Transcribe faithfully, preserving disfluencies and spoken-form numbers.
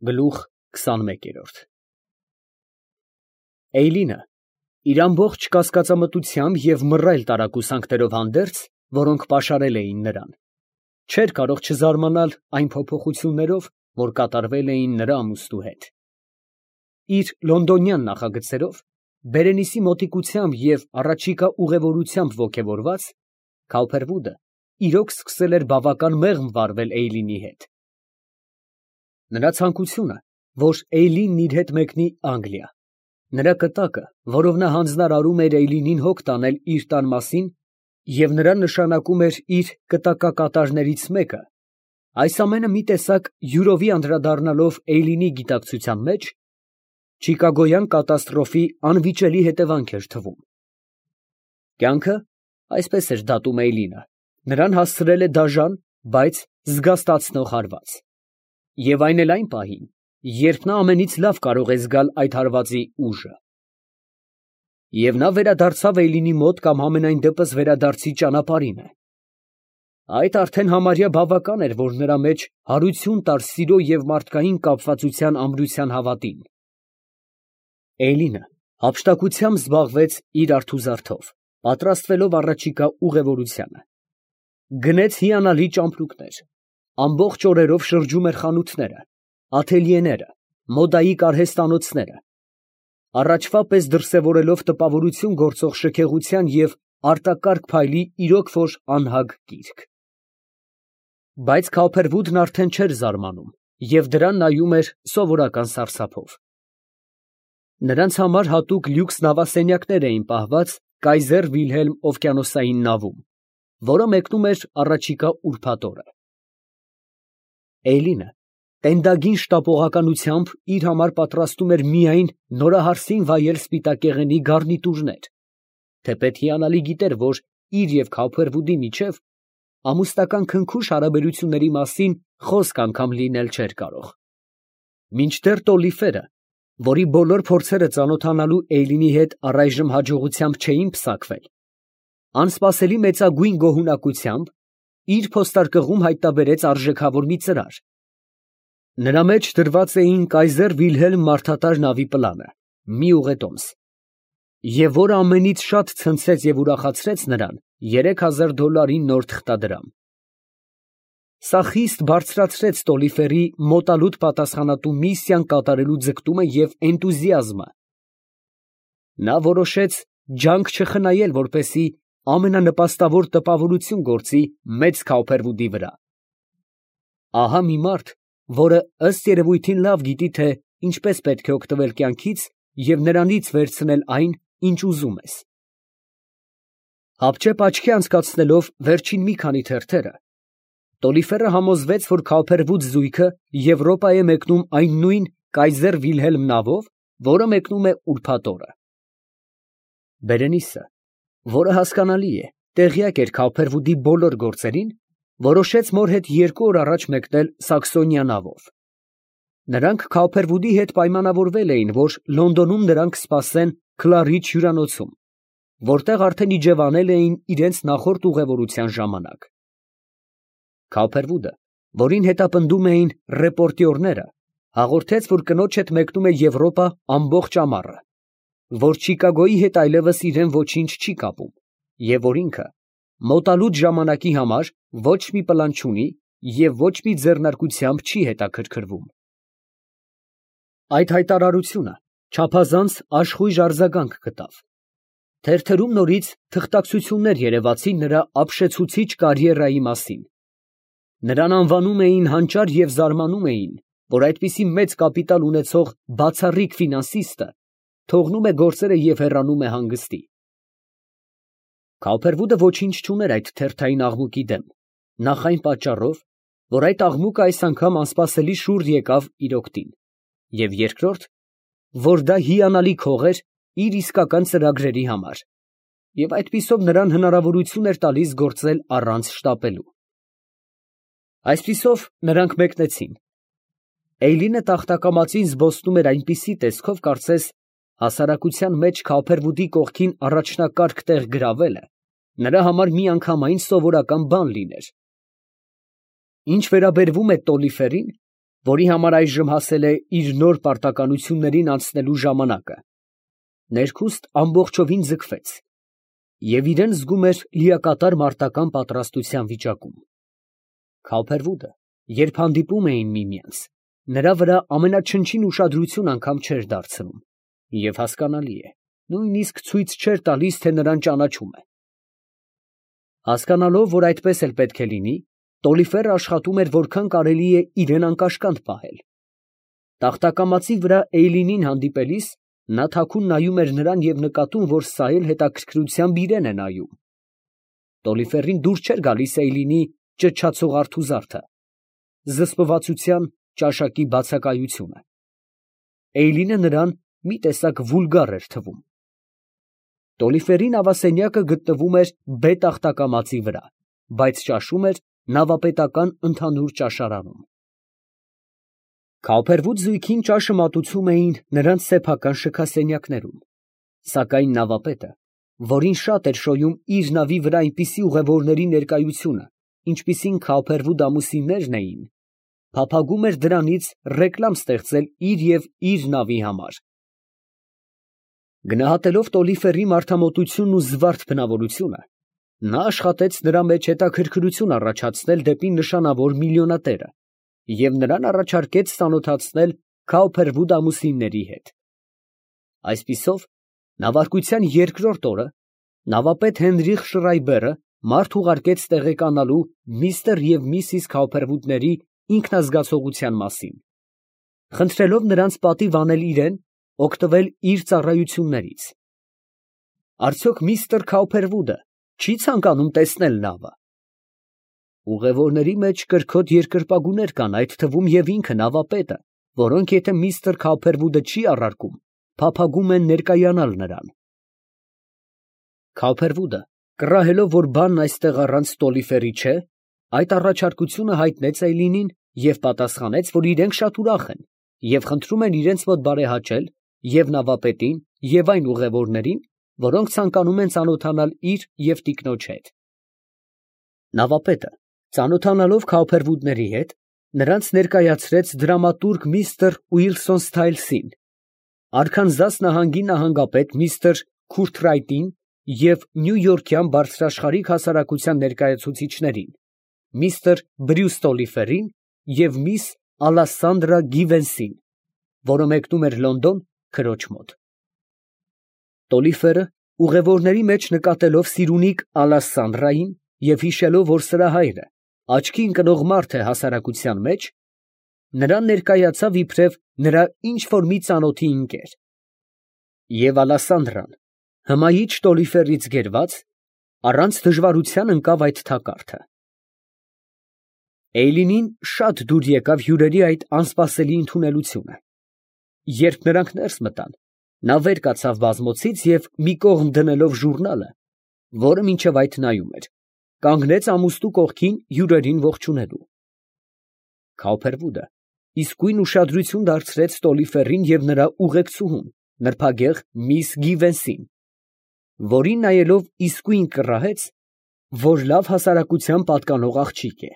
Գլուխ քսանմեկ։ Էյլինը իր ամբողջ կասկածամտությամբ և մռայլ տարակուսանքներով հանդերձ, որոնք պաշարել էին նրան, չէր կարող չզարմանալ այն փոփոխություններով, որ կատարվել էին նրա ամուսնու հետ։ Իր լոնդոնյան նախագծերով, Բերենիսի մոտիկությամբ և առաջիկա ուղևորությամբ ոգևորված, Քաուփերվուդը իրոք սկսել էր բավական մեղմ վարվել Էյլինի հետ։ Նրա ցանկությունը, որ Էյլինն իր հետ մեկնի Անգլիա, նրա կտակը, որով նա հանձնարարում էր Էյլինին հոգ տանել իր տան մասին և նրան նշանակում էր իր կտակակատարներից մեկը, այս ամենը մի տեսակ յուրովի անդրադառնալով Էյլինի գիտակցության մեջ, չիկագոյան կատաստրոֆի անվիճելի հետևանք էր թվում։ Կյանքը, այսպես էր դատում Էյլինը, նրան հասցրել է դաժան, բայց զգաստացնող հարված, և այն էլ այն պահին, երբ նա ամենից լավ կարող է զգալ այդ հարվածի ուժը։ Եվ նա վերադարձավ Էյլինի մոտ կամ համենայն դեպս վերադարձի ճանապարհին է։ Այդ արդեն համարյա բավական էր, որ նրա մեջ հարություն տար սիրո և մարդկային կապվածության ամրության հավատին։ Էյլինը հափշտակությամբ զբաղվեց իր արթուզարդով, պատրաստվելով առաջիկա ուղևորությանը։ Գնեց հիանալի ճամպրուկներ, ամբողջ օրերով շրջում էր խանութները, աթելյեները, մոդայի կարհեստանոցները, առաջվա պես դրսևորելով տպավորություն գործող շքեղության և արտակարգ փայլի իրոք որ անհագ կիրք։ Բայց Քաուփերվուդն արդեն չէր զարմանում և դրան նայում էր սովորական սարսափով։ Նրանց համար հատուկ լյուքս նավասենյակներ էին պահված Կայզեր Վիլհելմ օվկիանոսային նավում, որը մեկնում էր առաջիկա ուրբաթ օրը։ Էյլինը տենդագին շտապողականությամբ իր համար պատրաստում էր միայն նորահարսին վայել սպիտակեղենի գառնիտուրներ, թեպետ հիանալի գիտեր, որ իր և Քաուփերվուդի միջև ամուսնական քնքուշ հարաբերությունների մասին խոսք անգամ լինել չէր կարող։ Մինչդեռ Տոլիֆերը, որի բոլոր փորձերը ծանոթանալու Էյլինի հետ առայժմ հաջողությամբ չէին պսակվել, անսպասելի մեծագույն գոհունակությամբ իր փոստարկղում հայտնաբերեց արժեքավոր մի ծրար։ Նրա մեջ դրված էին Կայզեր Վիլհելմ մարդատար նավի պլանը, մի ուղետոմս, և որը ամենից շատ ցնցեց և ուրախացրեց նրան երեք հազար դոլարի նոր թղթադրամ։ Սա խիստ բարձրացրեց Տոլիֆերի մոտալուտ պատասխանատու միսիան կատարելու ձգտումը և էնտուզիազմը։ Նա որոշեց ջանք չխնայել, որպեսզի ամենանպաստավոր տպավորություն գործի մեծ Քաուփերվուդի վրա։ Ահա մի մարդ, որը ըստ երևույթին լավ գիտի, թե ինչպես պետք է օգտվել կյանքից և նրանից վերցնել այն, ինչ ուզում ես։ Հապճեպ աչքի անցկացնելով վերջին մի քանի թերթերը, Տոլիֆերը համոզվեց, որ Քաուփերվուդ զույգը Եվրոպա է մեկնում այն նույն Կայզեր Վիլհելմ նավով, որը մեկնում է ուրբաթ օրը։ Բերենիսը, որը հասկանալի է, տեղյակ էր Քաուփերվուդի բոլոր գործերին, որոշեց մոր հետ երկու օր առաջ մեկնել Սաքսոնիա նավով։ Նրանք Քաուփերվուդի հետ պայմանավորվել էին, որ Լոնդոնում նրանք կսպասեն Քլարիչ հյուրանոցում, որտեղ արդեն իջևանել էին իրենց նախորդ ուղևորության ժամանակ։ Քաուփերվուդը, որին հետապնդում էին ռեպորտյորները, հաղորդեց, որ կնոջ հետ մեկնում է Եվրոպա ամբողջ ամառը, որ Չիկագոյի հետ այլևս իրեն ոչինչ չի կապում և որ ինքը մոտալուտ ժամանակի համար ոչ մի պլան չունի և ոչ մի ձեռնարկությամբ չի հետաքրքրվում։ Այդ հայտարարությունը չափազանց աշխույժ արձագանք գտավ։ Թերթերում նորից թղթակցություններ երևացին նրա ապշեցուցիչ կարիերայի մասին։ Նրան անվանում էին հանճար և զարմանում էին, որ այդպիսի մեծ կապիտալ ունեցող բացառիկ ֆինանսիստը թողնում է գործերը և հեռանում է հանգստի։ Քաուփերվուդը ոչինչ չուներ այդ թերթային աղմուկի դեմ, նախ այն պատճառով, որ այդ աղմուկը այս անգամ անսպասելի շուռ եկավ իր օգտին, և երկրորդ, որ դա հիանալի քող էր իր իսկական ծրագրերի համար, և այդպիսով նրան հնարավորություն էր տալիս գործել առանց շտապելու։ Այսպիսով նրանք մեկնեցին։ Էյլինը տախտակամածին զբոսնում էր այնպիսի տեսքով, կարծես հասարակության մեջ Քաուփերվուդի կողքին առաջնակարգ տեղ գրավելը նրա համար միանգամայն սովորական բան լիներ։ Ինչ վերաբերում է Տոլիֆերին, որի համար այժմ հասել է իր նոր պարտականություններին անցնելու ժամանակը, ներքուստ ամբողջովին ձգվեց և իրան զգում էր լիակատար մարտական պատրաստության վիճակում։ Քալփերվուդը, երբ հանդիպում էին միմյանց, նրա վրա ամենաչնչին ուշադրություն անգամ չէր դարձնում, և հասկանալի է, նույնիսկ ցույց չէր տալիս, թե նրան ճանաչում է։ Հասկանալով, որ այդպես էլ պետք է լինի, Տոլիֆերը աշխատում էր որքան կարելի է իրեն անկաշկանդ պահել։ Տախտակամածի վրա Էյլինին հանդիպելիս նա թաքուն նայում էր նրան և նկատում, որ սա էլ հետաքրքրությամբ իրան է նայում։ Տոլիֆերին դուր չէր գալիս Էյլինի ճչացող արթուզարդը, զսպվածության ճաշակի բացակայությունը։ Էյլինը նրան մի տեսակ վուլգար էր թվում։ Տոլիֆերի նավասենյակը գտնվում էր բե տախտակամածի վրա, բայց ճաշում էր նավապետական ընդհանուր ճաշարանում։ Քալփերվուդ զույգին ճաշը մատուցում էին նրանց սեփական շքասենյակներում, սակայն նավապետը, որին շատ էր շոյում իր նավի վրա այնպիսի ուղևորների ներկայությունը, ինչպիսին Քալփերվուդ ամուսիններն էին, փափագում էր դրանից ռեկլամ ստեղծել իր և իր նավի համար։ Գնահատելով Տոլիֆերի մարդամոտությունն ու զվարթ բնավորությունը, նա աշխատեց նրա մեջ հետաքրքրություն առաջացնել դեպի նշանավոր միլիոնատերը և նրան առաջարկեց ծանոթացնել Քալփերվուդ ամուսինների հետ։ Այսպիսով, նավարկության երկրորդ օրը նավապետ Հենրիխ Շրայբերը մարդ ուղարկեց տեղեկանալու միստր և միսիս Քալփերվուդների ինքնազգացողության մասին, խնդրելով նրանց պատիվ անել իրան, օգտվել իր ծառայություններից։ Արդյոք միստր Քալփերվուդը չի՞ ցանկանում տեսնել նավը։ Ուղևորների մեջ կրքոտ երկրպագուներ կան, այդ թվում և ինքը նավապետը, որոնք եթե միստր Քալփերվուդը չի առարկում, փափագում են ներկայանալ նրան։ Քալփերվուդը, կռահելով, որ բանն այստեղ առանց Տոլիֆերի չէ, այդ առաջարկությունը հայտնեց Էյլինին և պատասխանեց, որ իրենք շատ ուրախ են և խնդրում են իրենց մոտ բարեհաճել և նավապետին և այն ուղևորներին, որոնք ցանկանում են ծանոթանալ իր և տիկնոջ հետ։ Նավապետը, ծանոթանալով Քալփերվուդների հետ, նրանց ներկայացրեց դրամատուրգ միստր Ուիլսոն Սթայլսին, Արքանզաս նահանգի նահանգապետ միստր Քուրթրայտին և նյույորքյան բարձրաշխարհիկ հասարակության ներկայացուցիչներին, միստր Բրյուս Տոլիֆերին և միս Ալասանդրա Գիվենսին, որը մեկնում էր Լոնդոն քրոջ մոտ։ Տոլիֆերը, ուղևորների մեջ նկատելով սիրունիկ Ալասանդրային և հիշելով, որ սրա հայրը աչքի ընկնող մարդ է հասարակության մեջ, նրան ներկայացավ իբրև նրա ինչ֊որ մի ծանոթի ընկեր, և Ալասանդրան, հմայիչ Տոլիֆերից գերված, առանց դժվարության ընկավ այդ թակարդը։ Էյլինին շատ դուր եկավ հյուրերի այդ անսպասելի ընդունելությունը։ Երբ նրանք ներս մտան, նա վեր կացավ բազմոցից և, մի կողմ դնելով ժուրնալը, որը մինչև այդ նայում էր, կանգնեց ամուստու կողքին հյուրերին ողջունելու։ Քալփերվուդը իսկույն ուշադրություն դարձրեց Տոլիֆերին և նրա ուղեկցուհուն, նրբագեղ միս Գիվենսին, որին նայելով իսկույն կռահեց, որ լավ հասարակության պատկանող աղջիկ է։